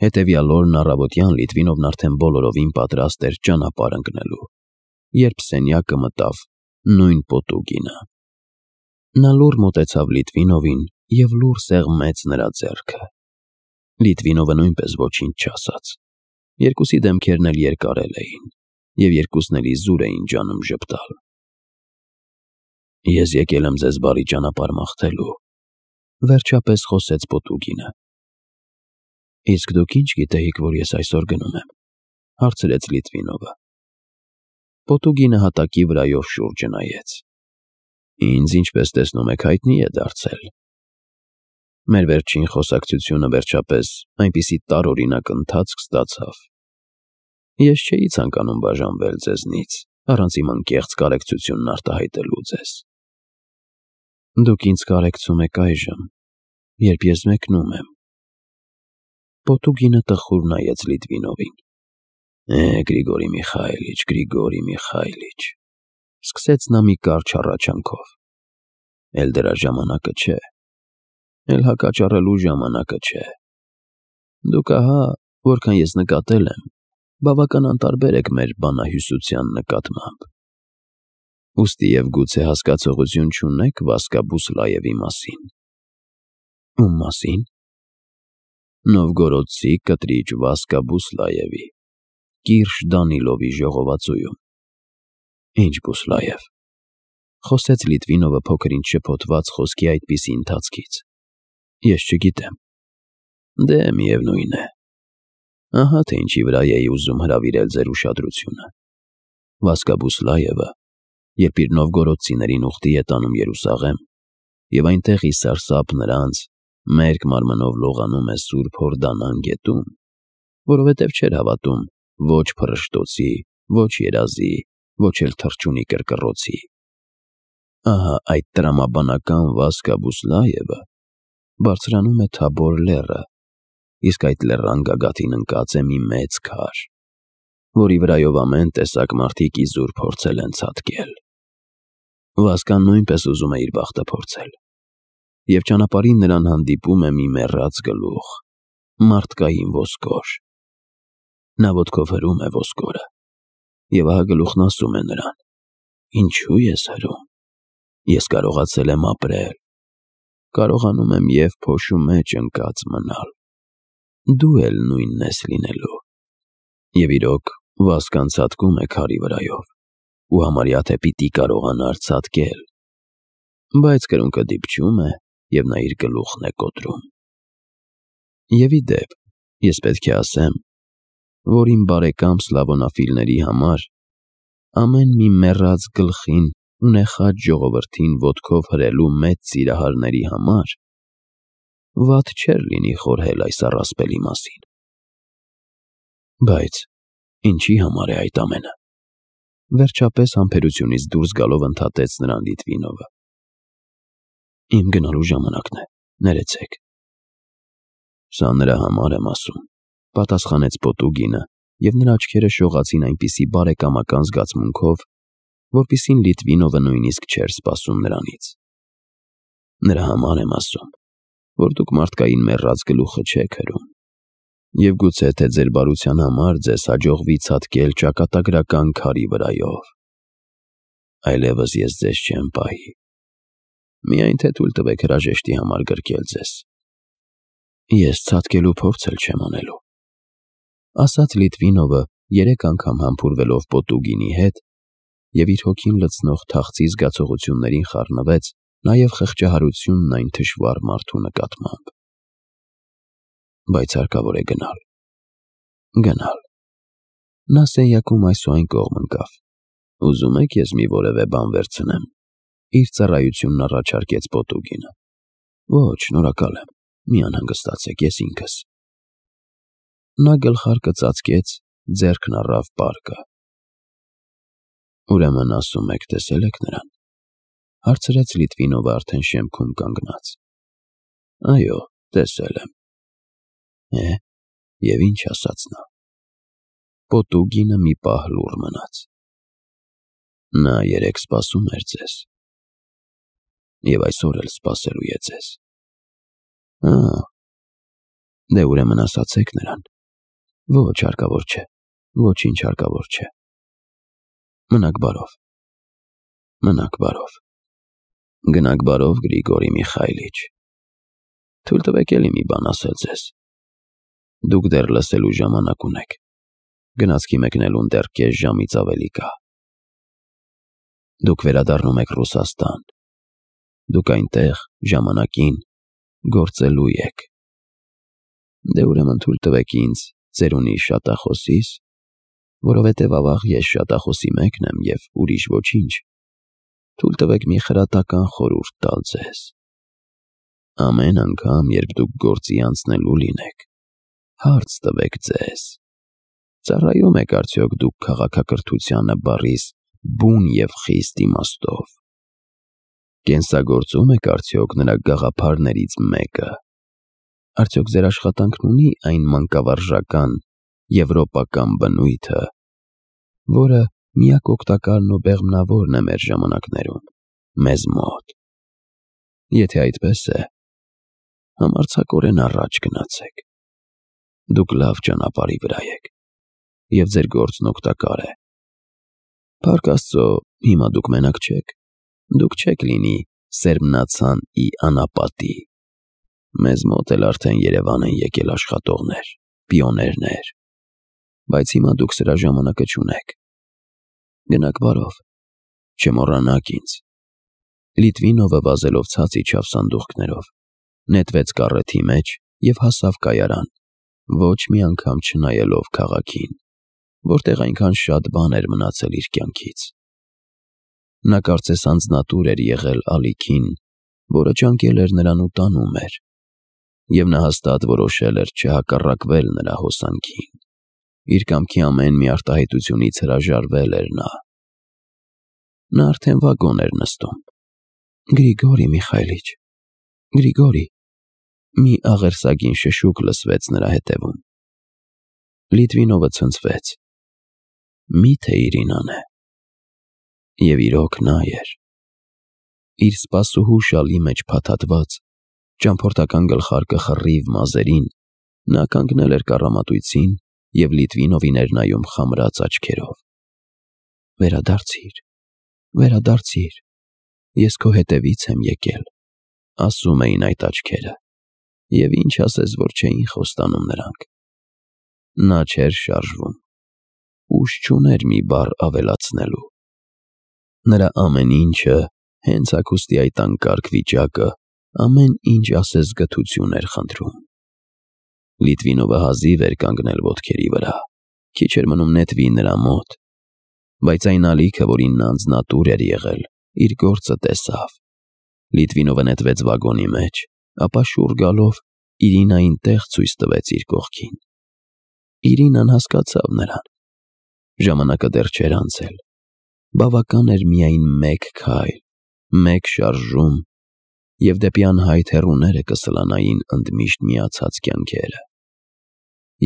Հետևյալ օրն առավոտյան Լիտվինովն արդեն բոլորովին պատրաստ էր ճանապարհ ընկնելու, երբ սենյակը մտավ նույն Պոտուգինը։ Նա լուռ մոտեցավ Լիտվինովին և լուռ սեղմեց նրա ձեռքը։ Լիտվինովը նույնպես ոչինչ չասաց։ Երկուսի դեմքերն էլ երկարել էին, և երկուսն էլ իզուր էին ջանում ժպտալ։ «Ես եկել եմ ձեզ բարի ճանապարհ մաղթելու», վերջապես խոսեց Պոտուգինը։ «Իսկ դուք ի՞նչ գիտեիք, որ ես այսօր գնում եմ», հարցրեց Լիտվինովը։ Պոտուգինը հատակի վրայով շուրջը նայեց։ «Ինձ, ինչպես տեսնում եք, հայտնի է դարձել։ Մեր վերջին խոսակցությունը վերջապես այնպիսի տարօրինակ ընթացք ստացավ։ Ես չէի ցանկանում բաժանվել ձեզնից, առանց իմ անկեղծ կարեկցությունն արտահայտելու ձեզ։ Դուք ինձ կարեկցում եք այժմ, երբ ես մեկնում եմ»։ Պոտուգինը տխուր նայեց Լիտվինովին։ Գրիգորի Միխայիլիչ, սկսեց նա մի կարճ հառաչանքով։ Էլ դրա ժամանակը չէ, էլ հակաճառելու ժամանակը չէ։ Դուք ահա, որքան ես նկատել եմ, բավական անտարբեր եք մեր բանահյուսության նկատմամբ։ Ուստի և գուցե հասկացողություն չունեք Վասկա Բուսլաևի մասին։ Ում մասին։ Նովգորոդցի կտրիչ Վասկա Բուսլաևի, Կիրշ Դանիլովի ժողովածուում։ Ինչ Բուսլաև, խոսեց Լիտվինովը փոքր-ինչ շփոթված խոսքի այդպիսի ընթացքից։ Ես չգիտեմ։ Դե միևնույն է։ Ահա թե ինչի վրա էի ուզում հրավիրել ձեր ուշադրությունը։ Վասկա Բուսլաևը, երբ իր նովգորոդցիներին ուխտի է տանում Երուսաղեմ, և այնտեղ ի սարսափ նրանց մերկ մարմնով լողանում է Սուրբ Հորդանան գետում, որովհետև չէր հավատում ոչ փռշտոցի, ոչ երազի, ոչ էլ թռչունի կրկռոցի։ Ահա այդ տրամաբանական Վասկա Բուսլաևը բարձրանում է Թաբոր լեռը, իսկ այդ լեռան գագաթին ընկած է մի մեծ քար, որի վրայով ամեն տեսակ մարդիկ իզուր փորձել են ցատկել։ Վասկան նույնպես ուզում է իր բախտը փորձել, և ճանապարհին նրան հանդիպում է մի մեռած գլուխ, մարդկային ոսկոր։ Նա ոտքով հրում է ոսկորը, և ահա գլուխն ասում է նրան. «Ինչու ես հրում։ Ես կարողացել եմ ապրել, կարողանում եմ և փոշու մեջ ընկած մնալ։ Դու էլ նույնն ես լինելու»։ Եվ իրոք, Վասկան ցատկում է քարի վրայով, ու համարյա թե պիտի կարողանար ցատկել, բայց կրունկը դիպչում է, և նա իր գլուխն է կոտրում։ Եվ ի դեպ, ես պետք է ասեմ, որ իմ բարեկամ սլավոնաֆիլների համար ամեն մի մեռած գլխին ու նեխած ժողովրդին ոտքով հրելու մեծ սիրահարների համար վատ չէր լինի խորհել այս առասպելի մասին։ Բայց ինչի համար է այդ ամենը։ Վերջապես համբերությունից դուրս գալով ընդհատեց նրան Լիտվինովը։ Իմ գնալու ժամանակն է, ներեցեք։ Սա նրա համար եմ ասում, պատասխանեց Պոտուգինը, և նրա աչքերը շողացին այնպիսի բարեկամական զգացմունքով, որպիսին Լիտվինովը նույնիսկ չէր սպասում նրանից։ Նրա համար եմ ասում, որ դուք մարդկային մեռած գլուխը չեք հրում, և գուցե թե ձեր բարության համար ձեզ հաջողվի ցատկել ճակատագրական քարի վրայով։ Այլևս ես ձեզ չեմ պահի։ Միայն թե թույլ տվեք հրաժեշտի համար գրկել ձեզ։ Ես ցատկելու փորձ էլ չեմ անելու, ասաց Լիտվինովը, 3 անգամ համբուրվելով Պոտուգինի հետ, և իր հոգին լցնող թախծի զգացողություններին խառնվեց նաև խղճահարությունն այն թշվառ մարդու նկատմամբ։ Բայց հարկավոր է գնալ։ Գնալ։ Նա սենյակում այս ու այն կողմ ընկավ։ Ուզում եք ես մի որևէ բան վերցնեմ։ Իր ծառայությունն առաջարկեց Պոտուգինը։ Ոչ, շնորհակալ եմ, մի անհանգստացեք, ես ինքս։ Նա գլխարկը ծածկեց, ձեռքն առավ պարկը։ Ուրեմն ասում եք, տեսել եք նրան, հարցրեց Լիտվինովը արդեն շեմքում կանգնած։ Այո, տեսել եմ։ Եվ ինչ ասաց նա։ Պոտուգինը մի պահ լուռ մնաց։ Նա երեկ սպասում էր ձեզ, և այսօր էլ սպասելու է ձեզ։ Դե ուրեմն ասացեք նրան։ Ոչ, հարկավոր չէ, ոչինչ հարկավոր չէ։ Մնաք բարով։ Մնաք բարով։ Գնաք բարով, Գրիգորի Միխայիլիչ։ Թույլ տվեք էլի մի բան ասել ձեզ։ Դուք դեռ լսելու ժամանակ ունեք։ Գնացքի մեկնելուն դեռ կես ժամից ավելի կա։ Դուք վերադառնում եք Ռուսաստան։ Դուք այնտեղ ժամանակին գործելու եք։ Դե ուրեմն թույլ տվեք ինձ ծերունի շատախոսիս, որովհետև ավաղ ես շատախոսի մեկն եմ և ուրիշ ոչինչ, թույլ տվեք մի խրատական խորհուրդ տալ ձեզ։ Ամեն անգամ, երբ դուք գործի անցնելու լինեք, հարց տվեք ձեզ. ծառայում եք արդյոք դուք քաղաքակրթությանը բառիս բուն և խիստ իմաստով։ Կենսագործում եք արդյոք նրա գաղափարներից մեկը։ Արդյոք ձեր աշխատանքն ունի այն մանկավարժական եվրոպական բնույթը, որը միակ օգտակարն ու բեղմնավորն է մեր ժամանակներում, մեզ մոտ։ Եթե այդպես է, համարձակորեն առաջ գնացեք։ Դուք լավ ճանապարհի վրա եք, և ձեր գործն օգտակար է։ Փառք Աստծո, հիմա դուք մենակ չեք, դուք չեք լինի սերմնացան ի անապատի։ Մեզ մոտ էլ արդեն Երևան են եկել աշխատողներ, պիոներներ, բայց հիմա դուք սրա ժամանակը չունեք։ Գնաք բարով, չմոռանաք ինձ։ Լիտվինովը վազելով ցած իջավ սանդուղքներով, նետվեց կառեթի մեջ և հասավ կայարան, ոչ մի անգամ չնայելով քաղաքին, որտեղ այնքան շատ բան էր մնացել իր կյանքից։ Նա կարծես անձնատուր էր եղել ալիքին, որը ջանկել էր նրան ու տանում էր, և նա հաստատ որոշել էր չհակառակվել նրա հոսանքին։ Իր կամքի ամեն մի արտահայտությունից հրաժարվել էր նա։ Նա արդեն վագոն էր նստում։ Գրիգորի Միխայիլիչ, Գրիգորի, մի աղերսագին շշուկ լսվեց նրա հետևում։ Լիտվինովը ցնցվեց։ Մի՞թե Իրինան է։ Եվ իրոք նա էր։ Իր սպասուհու շալի մեջ փաթաթված, ճամփորդական գլխարկը խռիվ մազերին, նա կանգնել էր կառամատույցին և Լիտվինովին էր նայում խամրած աչքերով։ Վերադարձիր, վերադարձիր, ես քո հետևից եմ եկել, ասում էին այդ աչքերը, և ինչ ասես, որ չէին խոստանում նրանք։ Նա չէր շարժվում, ուժ չուներ մի բառ ավելացնելու։ Նրա ամեն ինչը, հենց հագուստի այդ անկարգ վիճակը, ամեն ինչ ասես գթություն էր խնդրում։ Լիտվինովը հազիվ էր կանգնել ոտքերի վրա, քիչ էր մնում նետվի նրա մոտ, բայց այն ալիքը, որին նա անձնատուր էր եղել, իր գործը տեսավ։ Լիտվինովը նետվեց վագոնի մեջ, ապա շուռ գալով Իրինային տեղ ցույց տվեց իր կողքին։ Իրինան հասկացավ նրան։ Ժամանակը դեռ չէր անցել։ Բավական էր միայն մեկ քայլ, մեկ շարժում, և դեպի անհայտ հեռուները կսլանային ընդմիշտ միացած կյանքերը։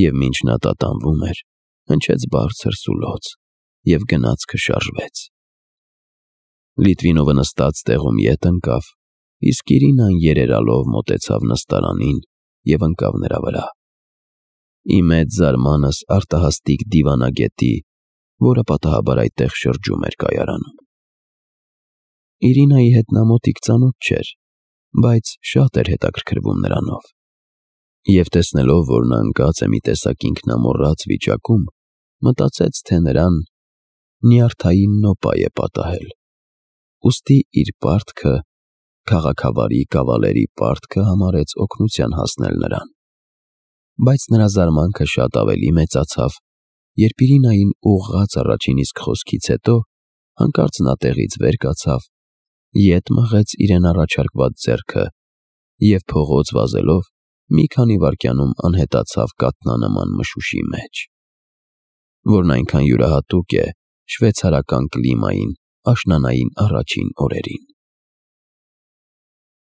Եվ մինչ նա տատանվում էր, հնչեց բարձր սուլոց, և գնացքը շարժվեց։ Լիտվինովը նստած տեղում ետ ընկավ, իսկ Իրինան երերալով մոտեցավ նստարանին և ընկավ նրա վրա։ Ի մեծ զարմանս արտահաստիկ դիվանագետի, որը պատահաբար այդտեղ շրջում էր կայարանում։ Իրինայի հետ նա մոտիկ ծանոթ չէր, բայց շատ էր հետաքրքրվում նրանով։ Եվ տեսնելով, որ նա ընկած է մի տեսակ ինքնամոռաց վիճակում, մտածեց, թե նրան նյարդային նոպա է պատահել։ Ուստի իր պարտքը, քաղաքավարի կավալերի պարտքը համարեց օգնության հասնել նրան։ Բայց նրա զարմանքը շատ ավելի մեծացավ, երբ Իրինային ուղղած առաջին իսկ խոսքից հետո հանկարծ նա տեղից վեր կացավ, ետ մղեց իրեն առաջարկված ձեռքը և փողոց վազելով մի քանի վայրկյանում անհետացավ կաթնանման մշուշի մեջ, որն այնքան յուրահատուկ է շվեյցարական կլիմային աշնանային առաջին օրերին։